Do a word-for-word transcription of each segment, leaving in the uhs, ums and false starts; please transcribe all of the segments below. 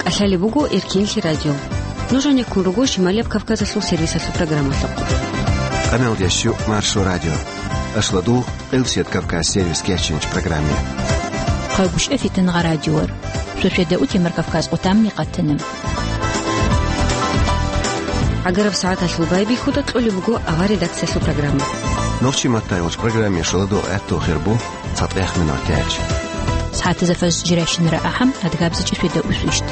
ТӀалъалеб буго Эркенлъи радио. Нуж гьанеккун руго Шималияб Кавказалъул сервисалъул программалъухъ. Къамелдящу Маршо радио. Ашладу Къилсият Кавказ сервис кечинч программе. Хъагушев Фитнагъа радиор. Шошеда утемар Кавказ къутамни къатана. ГӀагараб сагӀаталъул байбихьуда кьолеб буго авар редакциялъул программа. Нурчи Маттаевич программе шаладу гӀатту хирбу. ЦатӀехъ минутач. СагӀатазда фаз жирайщинара ахӀам, адгабзичӀи шведа усвищт.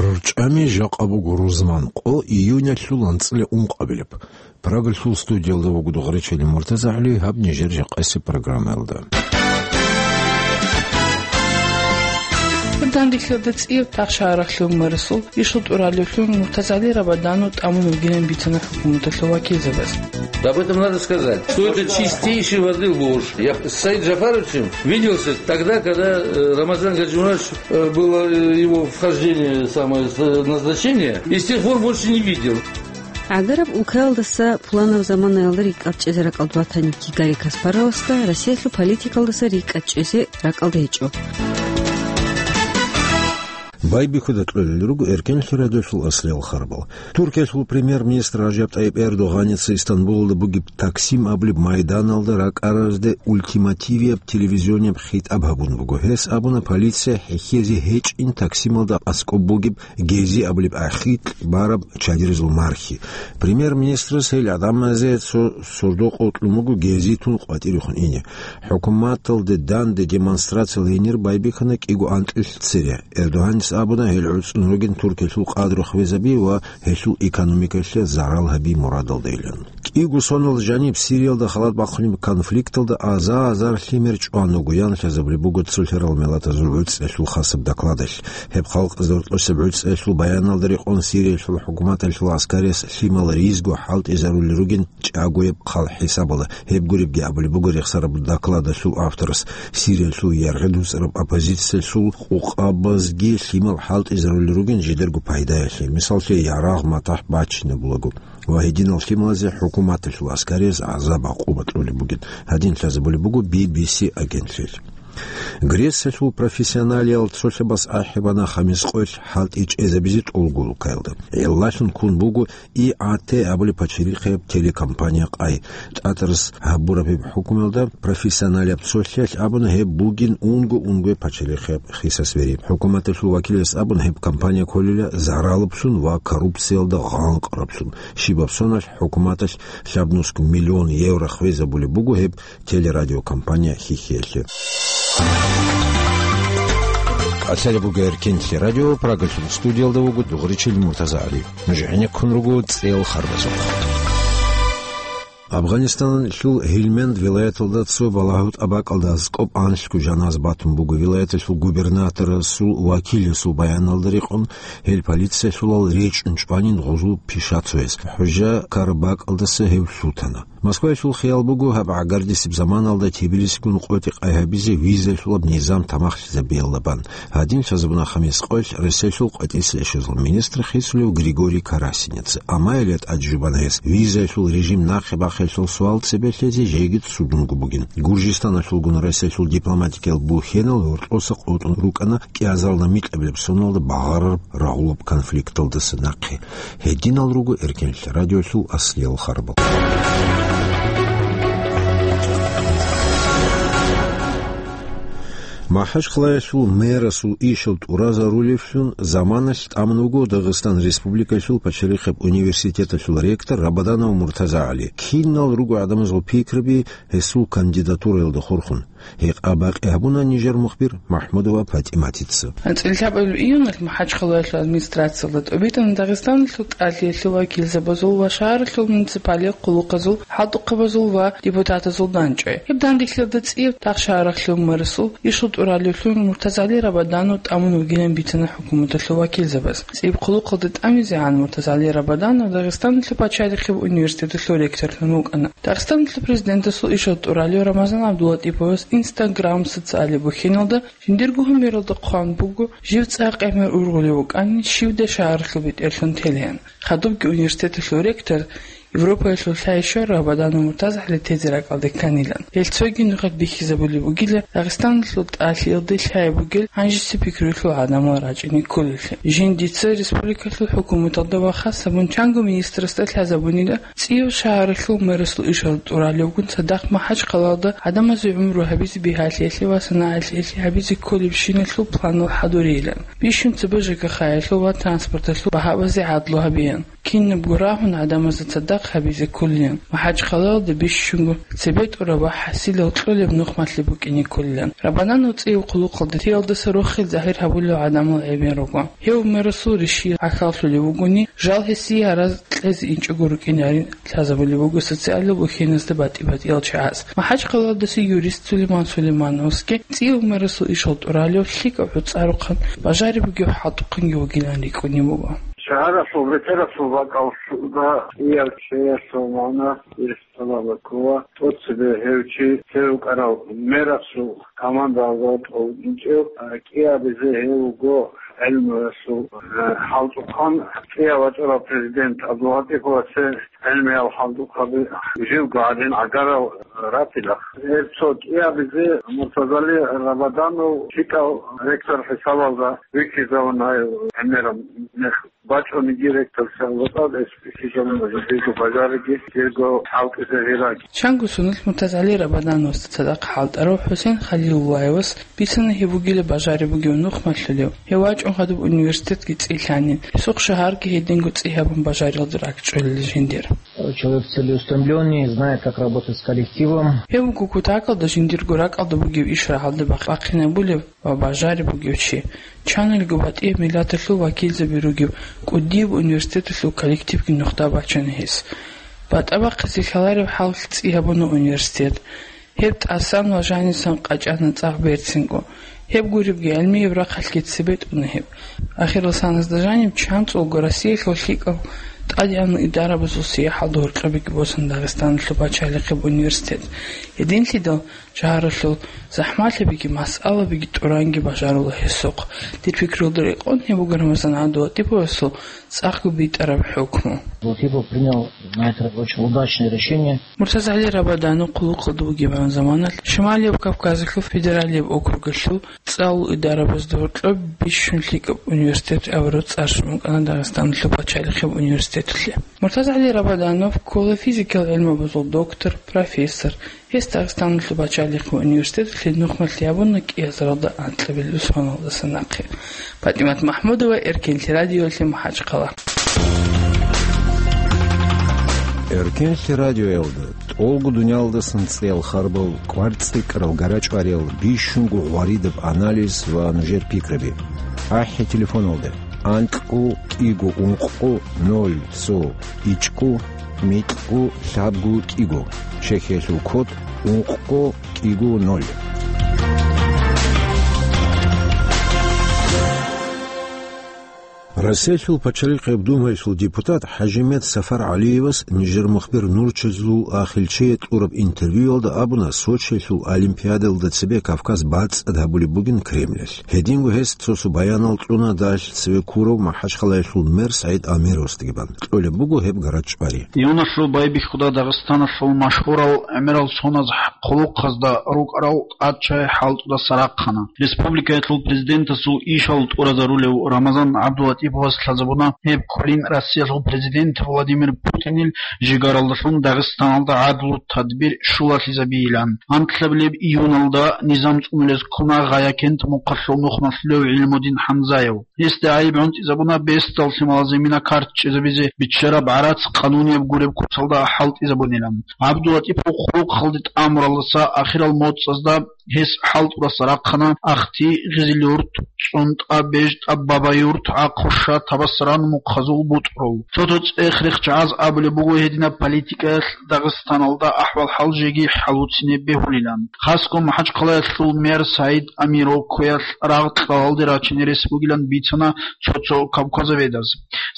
РорчӀами жакъа буго рузман къо июнялъул анцӀила ункъабилеб. Прагалъул студиялда вуго Дугъричили МуртазагӀали, гьаб нижер жакъасеб программаялда. Дандихьалда цӀияб тахшагьарахъ лъугьун марасул ишгъу тӀуралевлъун МуртазагӀали Рабаданов тӀамун вугилан бицана хӀукуматалъул вакилзабаз. Об этом надо сказать, что это чистейшей воды ложь. Я с Саид Джафаровичем виделся тогда, когда, э, Рамазан Гаджимурадович, э, было, э, его вхождение самое с-, назначение, и с тех пор больше не видел. ГӀагараб улкаялдаса пуланаб заманаялда рикӀкӀад чӀезе ракӀалда ватани Гарри Каспаровасда Россиялъул политикалдаса рикӀкӀад чӀезе ракӀалда гьечӀо. Байбихьуда кьолел руго Эркенлъи радиолъул аслияб харбал. Туркиялъул премьер-министр Ражаб ТӀайиб Эрдогъаница Истанбулалда бугеб Таксим абулеб майданалда ракӀаразде ультимативияб телевизионияб хитӀаб гьабун буго. Гьес абуна, полиция хӀехьезе гьечӀин Таксималда аскӀоб бугеб Гези абулеб ахикь бараб чадирезул мархи. Премьер-министрас гьел гӀадамазе цо сордо-къо кьун буго Гези тун къватӀирехун ине. ХӀукуматалде данде демонстрациял гьенир байбихьана кӀиго анкьилъ цере. Эрдогъанис абуна, гьел гӀуцӀун ругин Туркиялъул къадру хвезаби ва гьелъул экономикалъе зарал гьаби мурадалдайилан. КӀиго сонал жаниб Сириялда халат бахъунеб конфликталда аза-азар лъимер чӀван вуго, ян лъазабулеб буго цолъарал миллатазул гӀуцӀиялъул хасаб докладалъ. Гьеб халкъ зортӀосеб гӀуцӀиялъул баяналда рекъон Сириялъул хӀукуматалъул гӀаскариялъ лъимал ризго хӀалтӀизарулел ругин чӀагояб хъал хӀисабала. Гьеб гуребги абулеб буго рехсараб докладалъул авторас, Сириялъул яргъи дуцӀараб оппозициялъул къукъабазги лъимал хӀалтӀизарулел ругин жидерго пайдаялъе, мисаллъе, ярагъ-матахӀ бачинабулаго. Ва гьединал лъималазе хӀукуматалъул гӀаскариялъ гӀазаб-гӀакъуба кьолеб бугин, гьадин лъазабулеб буго Би Би Си агентлъиялъ. Грециялъул профессионалиял цолъабас ахӀи бана хамис къоялъ хӀалтӀи чӀезабизе тӀолго улкаялда. ГӀиллалъун ккун буго И А Т абулеб пачалихъияб телекомпания къай. ТӀатӀарас гьабураб гьеб хӀукмуялда профессионалияб цолъиялъ абуна, гьеб бугин унго-унгояб пачалихъияб хисас вери. ХӀукуматалъул вакилас абуна, гьеб компания кколила заралаблъун ва коррупциялда гъанкъараблъун. Щибаб соналъ хӀукуматалъ лъабнусго миллион евро хвезабулеб буго гьеб телерадиокомпания хьихьиялъе. ТӀалъалеб буго Эркенлъи радио, Прагалъул студиялда вуго Дугъричил МуртазагӀали. Нуж гӀенеккун руго цӀел харбазухъ. Афганистаналъул Гьилманд вилаяталда цо балагьу тӀабакӀалда аскӀоб анлъго жаназ батун буго. Вилаяталъул губернаторасул вакиласул баяналда рекъон, гьел полициялъулал речӀчӀун чӀванин гъузул пиша цояс. ХӀужа ккараб бакӀалдаса гьев лъутана. Москваялъул хиял буго гьаб гӀагардисеб заманалда Тбилисигун къотӀи-къай гьабизе визалъулаб низам тамахлъизабиялда бан. Гьадин лъазабуна хамис къоялъ Россиялъул къватӀиса яшазул министр хисулев Григорий Карасинец. Амма гьеле тӀад жубана гьес визаялъул режим нахъе бахъиялъул суал цебе лъезе жеги цудунго бугин. Гуржистаналъулгун Россиялъул дипломатикиял бухьенал гьоркьоса къотӀун рукӀана кӀиазаралда микьабилеб соналда багъарараб рагъулаб конфликталдаса нахъе. Гьединал руго Эркенлъи радиолъул аслиял харбал. МахӀачхъалаялъул мэрасул ишал тӀуразарулевлъун заманалъ тӀамун вуго Дагъистан Республикалъул пачалихъеб университеталъул ректор Рабаданов МуртазагӀали. Кинал руго гӀадамазул пикраби гьесул кандидатураялда хурхун? Гьекъа-бакъи гьабуна нижер мухбир МахӀмудова ПатӀиматица. АнцӀила лъабабилеб июналъ МахӀачхъалаялъул администрациялда тӀубитӀана Дагъистаналъул тӀалъиялъул вакилзабазул ва шагьаралъул муниципалияб хъулухъазул, хӀалтӀухъабазул ва депутатазул дандчӀвай. Гьеб дандихьалда цӀияб тахшагьарахъ лъугьун марасул ишгъу тӀуралевлъун МуртазагӀали Рабаданов тӀамун вугилан бицана хӀукуматалъул вакилзабаз. ЦӀияб хъулухъалда тӀамизегӀан МуртазагӀали Рабаданов Дагъистаналъул пачалихъеб университеталъул ректорлъун вукӀана. Дагъистаналъул президентасул ишгъу тӀуралев Рамазан ГӀабдуллатӀиповас Instagram социалияб бухьеналда жиндирго гьумералда хъван буго, жив цӀакъ гӀемер ургъулев вукӀани, щивдай шагьаралъул бетӀерлъун телеян. Хадубги университеталъул ректор Европаялъул лъай-щор Рабаданов МуртазагӀали тезе ракӀалде кканилан. Гьел цоги нухалъ бихьизабулеб бугила Дагъистаналъул тӀалъиялде лъай бугел гьанжеси пикруялъул гӀадамал рачӀине кколелъи. Жиндица республикалъул хӀукуматалда ва хас гьабун чанго министрасда лъазабунила, ЦӀияв шагьаралъул мэрасул ишал тӀуралевгун цадахъ МахӀачхъалалда гӀадамазе гӀумру гьабизе бигьалъиялъе ва санагӀалъиялъе гьабизе кколебщиналъул планал хӀадурейилан. Бищун цебе ЖКХ-ялъул ва транспорталъул багьабазе гӀадлу гьабеян. Кинабго рагьун гӀадамазда цадахъ гьабизе кколилан. МахӀачхъалалда бищунго цебе тӀураб ва хӀасилал кьолеб нухмалъи букӀине кколилан. Рабаданов цӀияв хъулухъалда тиялдаса рохел загьир гьабулев гӀадамал гӀемер руго. Гьев мэрасул риши гӀахьаллъулев вугони, жал гьесие гьараз кьезе инчӀого рукӀинарин лъазабулеб буго социалил ухьеназда батӀи-батӀиял чагӀаз. МахӀачхъалалдаса юрист Сулейман Сулеймановский цӀияв мэрасул ишал тӀуралев лъикӀав гӀуцӀарухъан, бажариб бугев хӀалтӀухъанги вугилан рикӀкӀунеб буго. Шагьаралъул бетӀералъул бакӀалда кӀияв чиясул магӀна ирс тӀалаб ккола, тӀоцебе гьев чи цевукӀарав мерасул командаялда тӀолбинчӀев, а, кӀиабизе гьев вуго гӀелмуясул, а, хӀалтӀухъан, кӀиаб вачӀарав президент ГӀабдулгьатӀиповасе гӀелмиял хӀалтӀухъаби живго гьадин гӀагарал ратила. Гьеб цо кӀиабизе Муртазали Рабаданов лъикӀав ректор хӀисабалда вихьизавуна гьев гӀемераб мех. БачӀунеб директор сагӀбатӀа эс бихьизабуна жиндирго бажариги, жиндирго хӀалтӀизе гьираги. Чанго соналъ МуртазгӀали Рабадановасда цадахъ хӀалтӀарав ХӀусен Халилуллаевас бицана гьев вугила бажариб бугев нухмалъулев, гьев вачӀун гьадуб университетги цӀилъанин, гьесухъ шагьарги гьединго цӀи гьабун бажариялда ракӀчӀолел жиндир. Человек целеустремлённый, знает, как работать с коллективом. Гьев вуго кутакалда жиндирго ракӀалда бугев иш рагӀалде бахъинабулев ва бажариб бугев чи. Чанилго батӀияб миллаталъул вакилзаби ругев кӀудияб университеталъул коллективги нухда бачана гьес. БатӀа бахъизе хьалареб хӀалалъ цӀи гьабуна университет. Гьеб тӀасан ва жанисан къачӀана цӀакъ берцинго. Гьеб гуребги гӀелмияб рахъалъги цебетӀуна гьеб. Ахирал саназда жаниб чанцӀулго Россиялъул лъикӀал тӀадегӀанал идарабазул сияхӀалда гьоркьобиги босана Дагъистаналъул пачалихъеб университет. Гьединлъидал Шагьаралъул захӀмалъабиги масъалабиги тӀуранги бажарула гьесухъ. Дир пикрулда рекъон гьеб буго Рамазан ГӀабдулатӀиповасул цӀакъго битӀараб хӀукму. Латипов принял, знаете, очень удачное решение. МуртазгӀали Рабаданов хъулухъалда бугебгӀан заманалъ Шималияб Кавказалъул федералияб округалъул цӀалул идарабазда гьоркьоб бищун лъикӀаб университет абураб цӀар щун букӀана Дагъистаналъул пачалихъеб университеталъе. МуртазгӀали Рабаданов ккола физикал гӀилмабазул доктор, профессор. Гьес Дагъистаналъул пачалихъ ва университеталъе нухмалъи гьабуна кӀиазаралда анкьабилеб соналдаса нахъе. ПатӀимат МахӀмудова, Эркенлъи радиоялъе, МахӀачхъала. Эркенлъи радиоялда тӀолго дуниялдасан цӀеял харбал, кӀвар-цӀикӀкӀарал, гарачӀвариял, бищунго гъваридаб анализ ва нужер пикраби. АхӀи телефоналда: анкьго кӀиго ункъго ноль цо ичӀго микьго лъабго кӀиго, чехьиялъул код ункъго кӀиго ноль. Россиялъул пачалихъеб Думаялъул депутат ХӀажимет Сафар ГӀалиевас нижер мухбир Нурчизул Ахилчие кьураб интервьюялда абуна, Сочиялъул Олимпиадалда цебе Кавказ бацӀцӀад гьабулеб бугин Кремльалъ. Гьединго гьес цо-цо баянал кьуна далъ цеве ккурав МахӀачхъалаялъул мэр СагӀид Амировасдаги бан. Кьолеб буго гьеб гарачӀвари. Июналъул байбихьуда Дагъистаналъул машгьурал гӀемерал соназ хъулухъазда рукӀарал тӀадчагӀи хӀалтӀудаса рахъана. Республикаялъул президентасул ишал тӀуразарулев Рамазан ГӀабдулатӀиповас лъазабуна гьеб кколин Россиялъул президент Владимир Путинил жигаралдалъун Дагъистаналда гӀадлу тадбир щулалъизабийилан. Анкьабилеб июналда низам цӀунулез ккуна Гъаякент мухъалъул нухмалъулев ГӀилмудин ХӀамзаев. Гьесда гӀайиб гӀунтӀизабуна бесдал лъималазе мина картчӀезабизе биччараб гӀарац къанунияб гуреб куцалда хӀалтӀизабунилан. ГӀабдулатӀипов хъулухъалде тӀамуралдаса ахирал моцӀазда гьес хӀалтӀудаса рахъана Ахти, Гъизилюрт, ЦӀунтӀа, БежтӀа, Бабаюрт, ГӀахъуша, Табасаран мухъазул бутӀрул. Цо-цо цӀех-рех чагӀаз абулеб буго гьединаб политикаялъ Дагъистаналда ахӀвал-хӀал жеги хӀалуцине бегьулилан. Хасго МахӀачхъалаялъул мэр СагӀид Амиров кквеялъ рагъ кьалалде рачине рес бугилан бицана цо-цо кавказоведаз.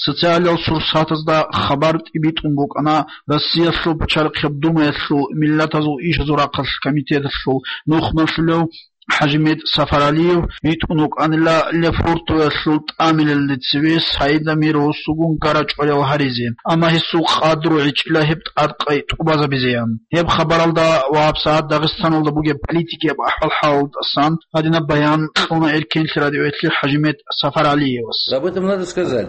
Социалиял сурсатазда хабар тӀибитӀун букӀана Россиялъул пачалихъеб Думаялъул миллатазул ишазул рахъалъ комитеталъул нухмалъулев ХӀажимет Сафаралиев витӀун вукӀанила Лефортовалъул тӀамилалде цеве СагӀид Амировасулгун гара-чӀварал гьаризе, амма гьесул къадру гӀечӀила гьеб тӀадкъай тӀубазабизеян. Гьеб хабаралда ва гьабсагӀат Дагъистаналда бугеб политикияб ахӀвал-хӀалалдасан гьадинаб баян кьуна Эркенлъи радиоялъе ХӀажимет Сафаралиевас. Об этом надо сказать,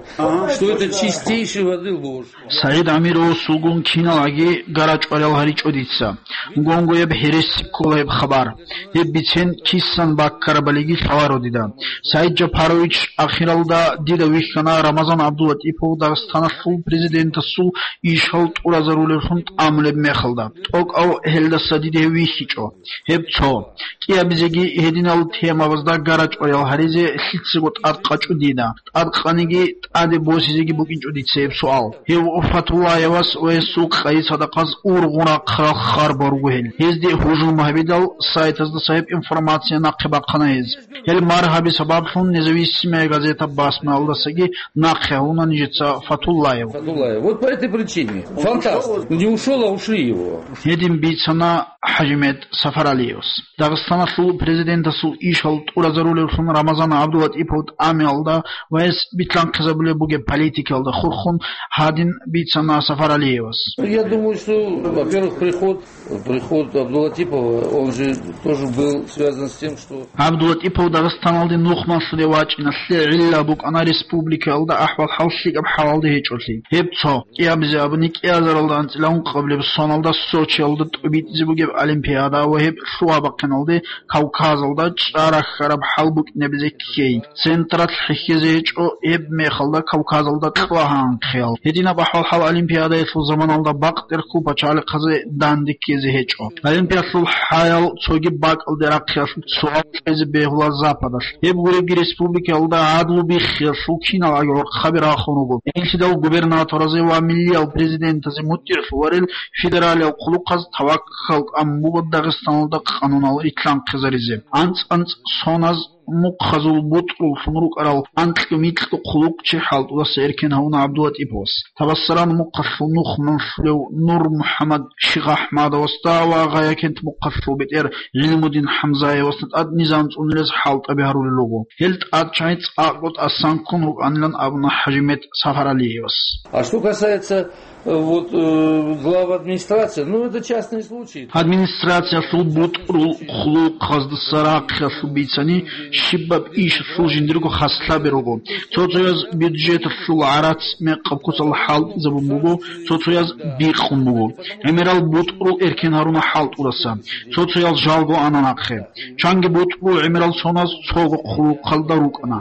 что это чистейшей воды ложь. СагӀид Амировасулгун киналги гара-чӀварал гьаричӀо дица. Гунгояб гьереси ккола гьеб хабар. Гьеб бицен кисан баккарабалиги лъаларо дида. СагӀид Жапарович, ахиралда дида вихьана Рамазан ГӀабдулатӀипов Дагъистаналъул президентасул ишал тӀуразарулевлъун тӀамулеб мехалда. ТӀокӀав гьелдаса дида гьев вихьичӀо. Гьеб цо. КӀиабизеги гьединал темабазда гара-чӀварал гьаризе лъицаго тӀадкъачӀо дида. ТӀадкъаниги тӀаде босизеги букӀинчӀо дица гьеб суал. Гьев Фатуллаевас ва гьесул къайи-садахъаз ургъун рахъарал харбал руго гьел. Гьезде гьужум гьабидал, сайтаздаса гьеб информация нахъе бахъана гьез. Гьел маргьаби сабаблъун Независимая газета басмаялдасаги нахъе гьавуна нижеца Фатуллаев. Фатуллаев. Вот по этой причине. Фантаст. Не ушел, а ушли его. Гьедин бицана ХӀажимет Сафаралиевас. Дагъистаналъул президентасул ишал тӀуразарулевлъун Рамазан ГӀабдулатӀипов тӀамиялда ва гьес битлъанхъизабулеб бугеб политикаялда хурхун гьадин бицана Сафаралиевас. Я думаю, что, во-первых, приход, приход Абдулатипова, он же тоже был связан с тем, что ГӀабдулатӀипов Дагъистаналде нухмалъуде вачӀиналъе гӀилла букӀана республикаялда ахӀвал-хӀал лъикӀаб хӀалалда гьечӀолъи. Гьеб цо. КӀиабизе абуни, кӀиазаралда анцӀила ункъабилеб соналда Сочиялда тӀубитӀизе бугеб олимпиада ва гьеб лъугьа-бахъиналде Кавказалда чӀарахьараб хӀал букӀинабизе ккей. Централъ хӀехьезе гьечӀо, гьеб мехалда Кавказалда кьвагьанхъиял. Гьединаб ахӀвал-хӀал олимпиадаялъул заманалда бакъдерхъул пачалихъазе данде ккезе гьечӀо. Олимпиалъул хӀаял цоги бакӀалде рахъиялъул суал кьезе бегьула Западалъ. Гьеб гуребги республикаялда гӀадлу биххиялъул кинал гӀорхъаби рахун руго. Гьелъидал губернаторазе ва миллиял президентазе мутӀигӀлъуларел федералиял хъулухъаз таваккал тӀамун буго Дагъистаналда къанунал рилълъанхъизаризе. АнцӀ-анцӀ соназ мухъазул бутӀруллъун рукӀарал анкьго-микьго хъулухъчи хӀалтӀудаса эркен гьавуна ГӀабдулатӀиповас. Табассаран мухъалъул нух малъулев Нур МухӀаммад Шихъахмадовасда ва Гъаякент мухъалъул бетӀер ГӀилмудин ХӀамзаевасда тӀад низам цӀунилез хӀалтӀаби гьарулел руго. Гьел тӀад чагӀи цӀакъго тӀасан ккун рукӀанилан абуна ХӀажимет Сафаралиевас. А что касается, э, вот, э, глав администрации, ну, это частный случай. Администрациялъул бутӀрул хъулухъаздаса рахъиялъул бицани, щибаб ишалъул жиндирго хаслъаби руго. Цо-цояз бюджеталъул гӀарац мекъаб куцал хӀалтӀизабун буго, цо-цояз бикъун буго. ГӀемерал бутӀрул эркен гьаруна хӀалтӀудаса. Цо-цоял жалго ана нахъе. Чанги бутӀрул гӀемерал соназ цого хъулухъалда рукӀана.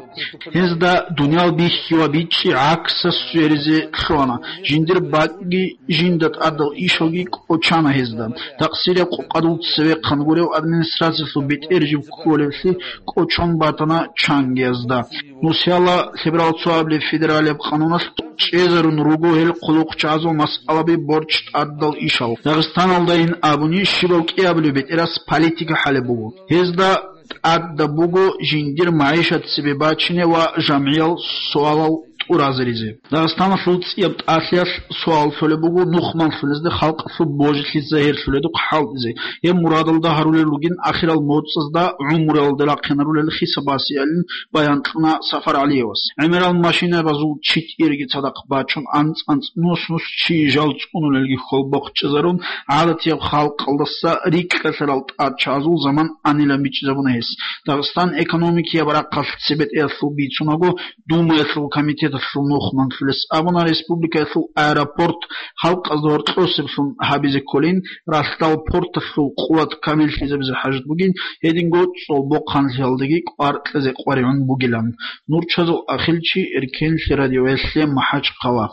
Гьезда дуниял бихьи ва бичӀчӀи гӀаксас сверизе лъугьана, жиндир бакӀги, жинда тӀадал ишалги кӀочана гьезда. Такъсираб къукъадул цевехъан гурев администрациялъул бетӀер жиб кколевлъи кӀочон батана чангиязда. Нусиялда лъеберал цоабилеб федералияб къануналъ чӀезарун руго гьел хъулухъчагӀазул масъалаби борчӀ тӀадал ишал. Дагъистаналдайин абуни, щибав кӀиабилев бетӀерас политика хӀалеб буго. Гьезда тӀадаб буго жиндир магӀишат цебе бачине ва жамгӀиял суалал тӀуразаризе. Дагъистаналъул цӀияб тӀалъиялъ суал лъолеб буго нух малъулезда халкъалъул божилъи загьирлъуледухъ хӀалтӀизе. Гьеб мурадалда гьарулел ругин ахирал моцӀазда гӀумруялда рахъинарулел хисабасиялин баян кьуна Сафаралиевас. ГӀемерал машинабазул читӀирги цадахъ бачун, анцӀ-анцӀ нус-нус чи жал цӀунулелги хьолбохъ чӀезарун, гӀадатияб халкъалдаса рикӀкӀалъарал тӀадчагӀазул заман анилан бичӀчӀизабуна гьес. Дагъистан экономикияб рахъалъ цебетӀеялъул бицунаго, Думаялъул комитеталъул нух малъулес абуна республикаялъул аэропорт халкъазда гьоркьосеблъун гьабизе кколин, ралъдал порталъул къуват камиллъизабизе хӀажат бугин, гьединго цӀолбохъанлъиялдаги кӀвар кьезе къваригӀун бугилан. Нурчазул Ахилчи, Эркенлъи радиоялъе, МахӀачхъала.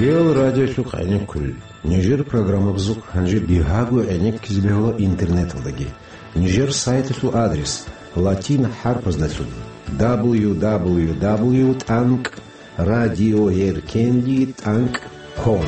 Реал радиолъухъ гӀенеккулел. Нижер программабазухъ гьанже бигьаго гӀенеккизе бегьула интернеталдаги. Нижер сайталъул адрес латин хӀарпаздалъун: дабл ю дабл ю дабл ю тӀанкӀ радиоэркенлъи тӀанкӀ ком.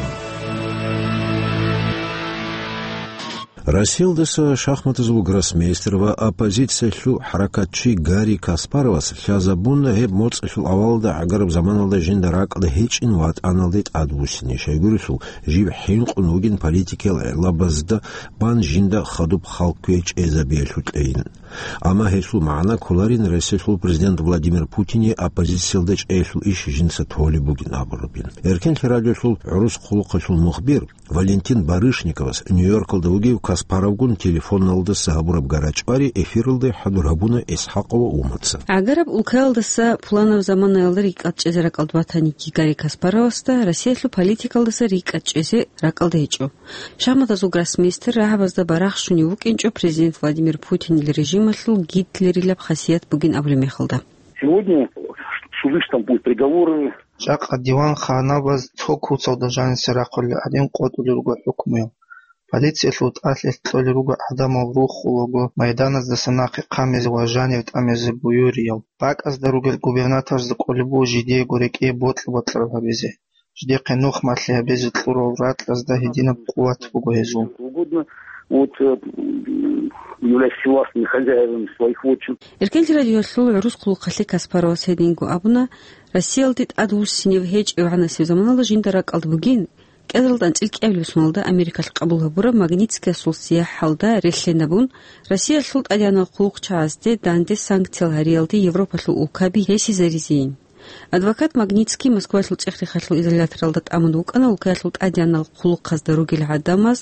Россиялдаса шахматазул гроссмейстер ва оппозициялъул хӀаракатчи Гарри Каспаровас лъазабуна гьеб моцӀалъул авалалда гӀагараб заманалда жинда ракӀалда гьечӀин ватӀаналде тӀадвуссине, щайгурелъул жив хӀинкъун вугин политикиял гӀелабазда бан жинда хадуб хал кквей чӀезабиялъул кьейин. Амма гьелъул магӀна кколарин Россиялъул президент Владимир Путине оппозициялда чӀеялъул иш жинца толеб бугин абурабин. Эркенлъи радиолъул гӀурус хъулухъалъул мухбир Валентин Барышниковас Нью-Йоркалда вугев Каспаровгун телефоналдаса гьабураб гарачӀвари эфиралде хӀадур гьабуна ИсхӀакъова Умаца. ГӀагараб улкаялдаса пуланаб заманаялда рикӀкӀад чӀезе ракӀалда батаниги Гарри Каспаровасда, Россиялъул политикалдаса рикӀкӀад чӀезе ракӀалда гьечӀо. Шахматазул гроссмейстер рагӀабазда барахщунев вукӀинчӀо президент Владимир Путинил режималъул Гитлерилаб хасият бугин абулеб мехалда. Сегодня суды Стамбул, приговоры. Жакъа диван ханабаз цо куцалда жаниса рахъулел гӀадин къотӀулел руго хӀукмуял. Полициялъул тӀалъилъ кьолел руго гӀадамал рухулаго майданаздаса нахъе хъамезе ва жанив тӀамезе буюриял. БакӀазда ругел губернаторзда кӀолеб буго жидеего рекӀее бокьа-бокьараб гьабизе. Жидехъе нух малъи гьабизе кьурал ракьазда гьединаб къуват буго гьезул. Угодно, вот, э, м, являясь властными хозяевами своих вотчин. Эркенлъи радиоялъул гӀурус хъулухъалъе Каспаровас гьединго абуна: «Россиялде тӀадвуссинев гьечӀев гӀанасеб заманалда жинда ракӀалда бугин, кӀиазаралда анцӀила кӀиабилеб соналда Америкалъ къабул гьабураб Магнитскиясул сияхӀалда релълъинабун, Россиялъул тӀадегӀанал хъулухъчагӀазде данде санкциял гьариялде Европалъул улкаби гьесизаризейин». Адвокат Магнитский Москвалъул цӀех-рехалъул изоляторалда тӀамун вукӀана улкаялъул тӀадегӀанал хъулухъазда ругел гӀадамаз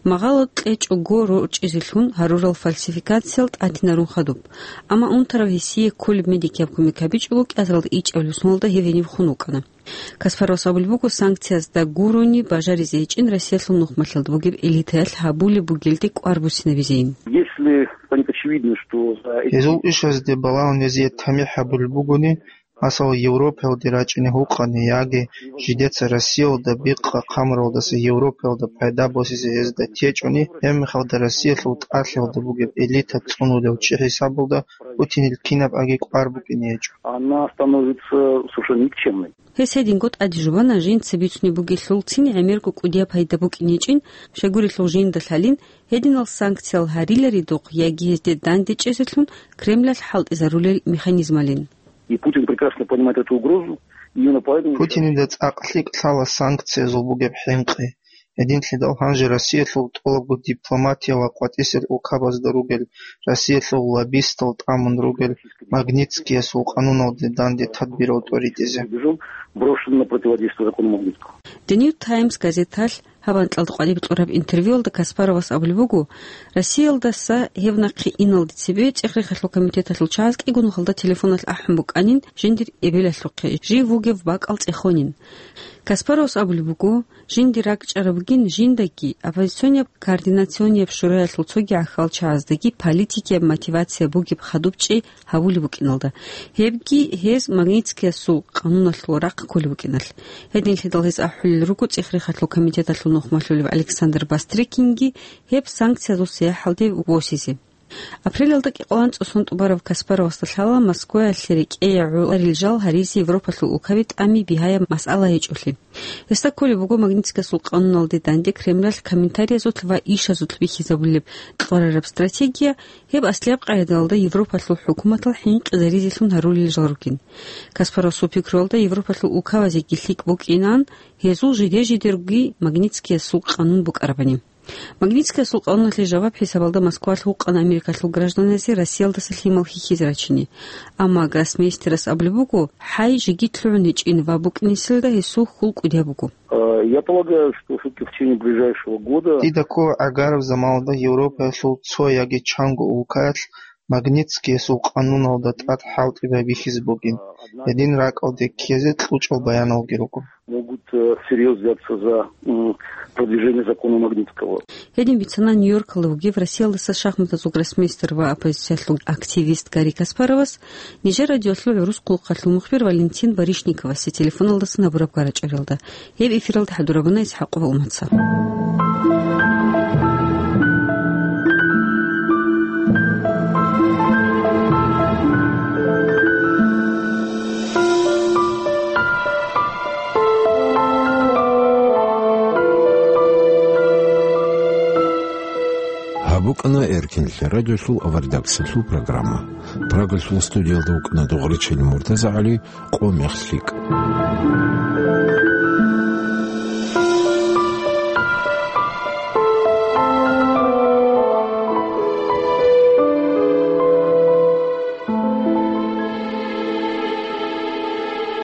магъало кьечӀого рорчӀизелъун гьарурал фальсификациял тӀатинарун хадуб, амма унтарав гьесие кколеб медикияб кумек гьабичӀого кӀиазаралда ичӀабилеб соналда гьев гьенив хун вукӀана. Каспаровас абулеб буго, санкциязда гурони бажаризе гьечӀин Россиялъул нухмалъалда бугеб элитаялъ гьабулеб бугелде кӀвар буссинабизейин. Если станет очевидно, что за эти Гьезул ишазде балагьун гьезие тамихӀ гьабулеб бугони, масала, Европаялде рачӀине гьукъани яги жидеца Россиялда бикъа хъамуралдаса Европаялда пайда босизе гьезда течӀони, гьебмехалда Россиялъул тӀалъиялда бугеб элита цӀунулев чи хӀисабалда Путинил кинаб аги кӀвар букӀине гьечӀо. Она становится совершенно никчемной. Гьес гьединго тӀаде жубана, жинца бицунеб бугелъулцин гӀемерго кӀудияб пайда букӀинечӀин, щайгурелъул жинда лъалин, гьединал санкциял гьариларидухъ яги гьезде дандечӀезелъун Кремлалъ хӀалтӀизарулел механизмалин. И Путин прекрасно понимает эту угрозу, именно поэтому Путинида цӀакъ лъикӀ лъала санкциязул бугеб хӀинкъи. Гьединлъидал гьанже Россиялъул тӀолабго дипломатияла къватӀисел улкабазда ругел, Россиялъул лоббистал тӀамун ругел Магнитскиясул къануналде данде тадбирал тӀоритӀизе. Убеждён, брошен на противодействие закону Магнитского. The New Times газеталъ гьаб анкьалда къватӀибе кьураб интервьюалда Каспаровас абулеб буго, Россиялдаса гьеб нахъе иналде цебе цӀех-рехалъул комитеталъул чагӀаз кӀиго нухалда телефоналъ ахӀун букӀанин жиндир эбелалъухъе, жив вугев бакӀал цӀехонин. Каспаровас абулеб буго, жиндир ракӀчӀарабгин жиндаги, оппозиционияб координационияб шураялъул цоги гӀахьалчагӀаздаги политикияб мотивация бугеб хадуб чӀей гьавулеб букӀиналда, гьебги гьез Магнитскиясул къануналъул рахъ кколеб букӀиналъ. Гьединлъидал гьез ахӀулел руго цӀех-рехалъул комитеталъул нухмалъулев Александр Бастрыкинги гьеб санкциязул сияхӀалде восизе. Апрелалда кӀикъоялда анцӀго сон тӀубараб Каспаровасда лъала Москваялъе рекӀее гӀоларел жал гьаризе Европалъул улкаби тӀами бигьаяб масъала гьечӀолъи. Гьесда кколеб буго Магнитскиясул къануналде данде Кремлалъ комментариязулъ ва ишазулъ бихьизабулеб кьварараб стратегия, гьеб аслияб къагӀидалда Европалъул хӀукуматал хӀинкъизаризелъун гьарулел жал ругин. Каспаровасул пикруялда Европалъул улкабазеги лъикӀ букӀинан гьезул жиде-жидерги Магнитскиясул къанун букӀарабани. Магнитскиясул къануналъе жаваб хӀисабалда Москвалъ гьукъана Америкалъул гражданазе Россиялдаса лъимал хьихьизе рачине. Амма гроссмейстерас абулеб буго, хӀай жеги лъугӀун гьечӀин ва букӀинеселда гьесул хьул кӀудияб буго. Э, я полагаю, что всё-таки в течение ближайшего года Дида ккола гӀагараб заманалда Европаялъул цо яги чанго улкаялъ Магнитскиясул къануналда тӀад хӀалтӀи байбихьизе бугин, гьедин ракӀалде ккезе кьучӀал баяналги руго. Могут, э, всерьёз взяться за, м, продвижение закона Магнитского. Гьедин бицана Нью-Йоркалда вугев Россиялдаса шахматазул гроссмейстер ва оппозициялъул активист Гарри Каспаровас нижер радиоялъул гӀурус хъулухъалъул мухбир Валентин Барышниковасе телефоналдасан гьабураб гарачӀваралда. Гьеб эфиралда хӀадурабуна ИсхӀакъова Умаца. ВукӀана Эркинлъи радиолъул аваридаксалъул программа. Прагалъул студиялда вукӀана Дугъричил МуртазагӀали, къо мех лъикӀ.